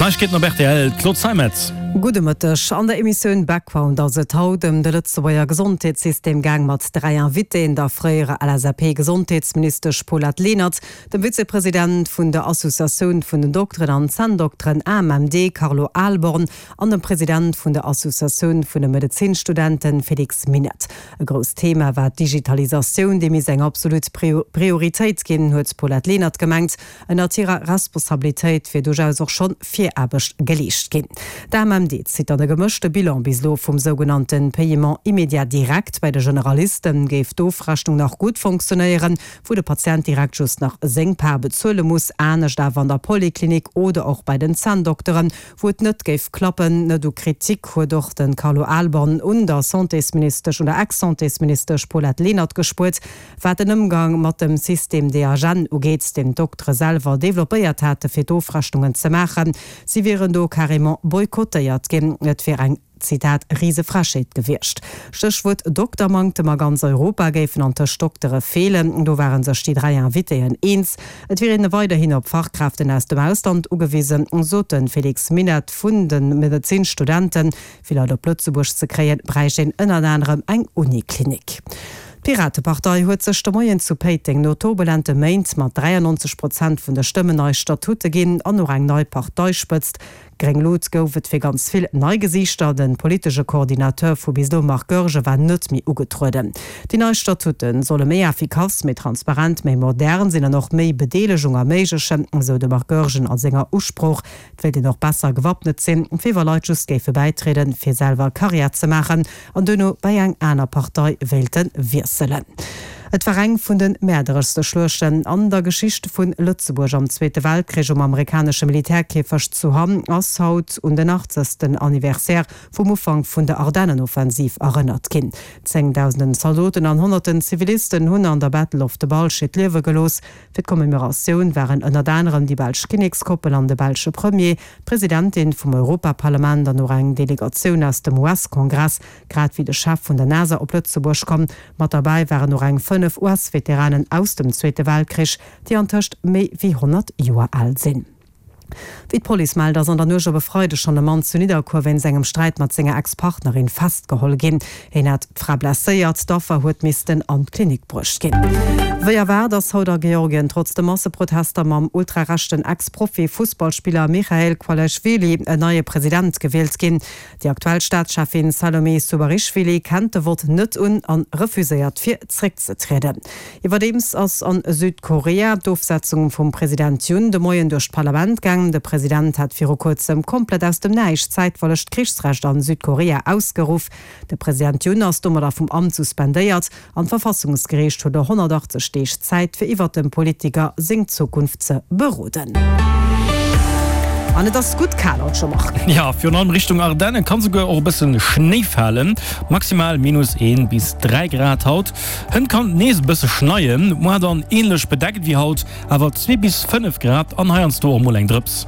D'Neiegkeeten op rtl, d'Claude Zeimetz. Gudde Mëtteg. An der Emissioun Background ass et haut ëm de Lëtzebuerger Gesondheetssystem gaang mat 3 Invitéen, der fréierer LSAP-Gesondheetsministesch Paulette Lenert, dem Vizepresident vun der Associatioun vun den Dokteren an Zänndokteren, AMMD, Carlo Ahlborn an dem President vun der Associatioun vun de Medezinstudenten, Félix Minett. E grousst Thema war d'Digitalisatioun, déi misst eng absolut Prioritéit ginn, huet d'Paulette Lenert gemengt. Ënnert hirer Responsabilitéit wier duerchaus och schonn Viraarbecht geleescht ginn. D'AMMD zitt dann e gemëschte Bilan bis elo vum sougenannte Paiement immédiat direct. Bei de Generaliste géif d'Ofrechnung nach gutt fonctionnéieren, wou de Patient direkt just nach seng Part bezuele muss. Anescht awer an der Poliklinik oder och bei den Zänndokteren, wou et net géif klappen. Net u Kritik huet och de Carlo Ahlborn un der Santésministesch, un der Ex-Santésministesch Paulette Lenert gespuert. Wat den Ëmgang mat dem System DHN ugeet, deen d'Doktere selwer developpéiert hate fir d'Ofrechnungen ze maachen, si wieren do carrément boykottéiert ginn. Et wier eng, Zitat, Risefrechheet gewiescht. Stéchwuert Doktermanktem, a ganz Europa géifen antëscht Doktere feelen. Do ware sech déi 3 Invitéen eens. Et wier een weiderhin op Fachkräften aus dem Ausland ugewisen, sot de Félix Minett vun de Medezinstudenten. Fir Leit op Lëtzebuerg ze kréien, bräicht een ënnert anerem eng Uniklinik. D'Piratepartei huet sech de Moien zu Péiteng no turbulente Méint mat 93 Prozent vun de Stëmmen nei Statute ginn an och eng nei Parteispëtzt. Gréng Lut gouf et fir ganz vill nei Gesiichter. De politesche Coordinateur vu bis elo Marc Goergen war net méi ugetrueden. Déi nei Statute solle méi effikass, méi transparent, méi modern sinn an och méi Bedeelegung erméiglechen, esou de Marc Goergen a senger Usprooch. Et wéilt een och besser gewappnet sinn, wéi wa Leit just géife bäitrieden, fir selwer Karriär ze maachen an duerno bei eng aner Partei wéilte wiesselen. Et war eng vun de mäerdereschste Schluechten an der Geschicht vu Lëtzebuerg. Am Zweete Weltkrich um amerikanesche Militärkierfecht zu Hamm ass haut un den 80. Anniversaire vum Ufank vun der Ardennenoffensiv erënnert ginn. Zéngdausenden Zaldoten an honnerten Zivilisten hunn an der Battle of the Bulge hiert Liewe gelooss. Fir d'Commemoratioun waren ënnert anerem déi belsch Kinnekskoppel an de belsche Premier, d'Presidentin vum Europaparlament an och eng Delegatioun aus dem US-Kongress, grad wéi de Chef vun der NASA op Lëtzebuerg komm. Mat derbäi waren och eng 5 US-Veteranen aus dem Zweete Weltkrich, déi antëscht méi wéi 100 Joer al sinn. Wéi d'Police mellt, ass an der Nuecht op e Freideg schonn e Mann zu Nidderkuer wéinst engem Sträit mat senger Ex-Partnerin festgeholl ginn. Hien hat d'Fra blesséiert, d'Affer huet missten an d'Klinik bruecht ginn. Wéi erwaart ass haut a Georgien trotz de Masseprotester mam ultrarechten Ex-Profi-Fussballspiller Michail Kwalaischwili en neie President gewielt ginn. Déi aktuell Staatscheffin Salome Zubarischwili kennt de Vott net un an refuséiert fir zréckzetrieden. Iwwerdeems ass an Südkorea d'Ofsetzung vum President Yoon de Moien duerch d'Parlament gaang. De President hat viru kuerzem komplett aus dem Näischt zäitweileg d'Krichsrecht an Südkorea ausgeruff. De President Yoon ass domadder vum Amt suspendéiert An d'Verfassungsgeriicht huet elo 180 Deeg Zäit, fir iwwert dem Politiker seng Zukunft ze beroden. An et ass gutt kal haut scho, Marc. Jo, virun allem Richtung Ardennen kann souguer och e bëssen Schnéi falen. Maximal minus 1 bis 3 Grad haut. Hënt kann et nees e bësse schneien, muar dann änlech bedeckt wéi haut, awer 2 bis 5 Grad an heiansdo och mol eng Drëps.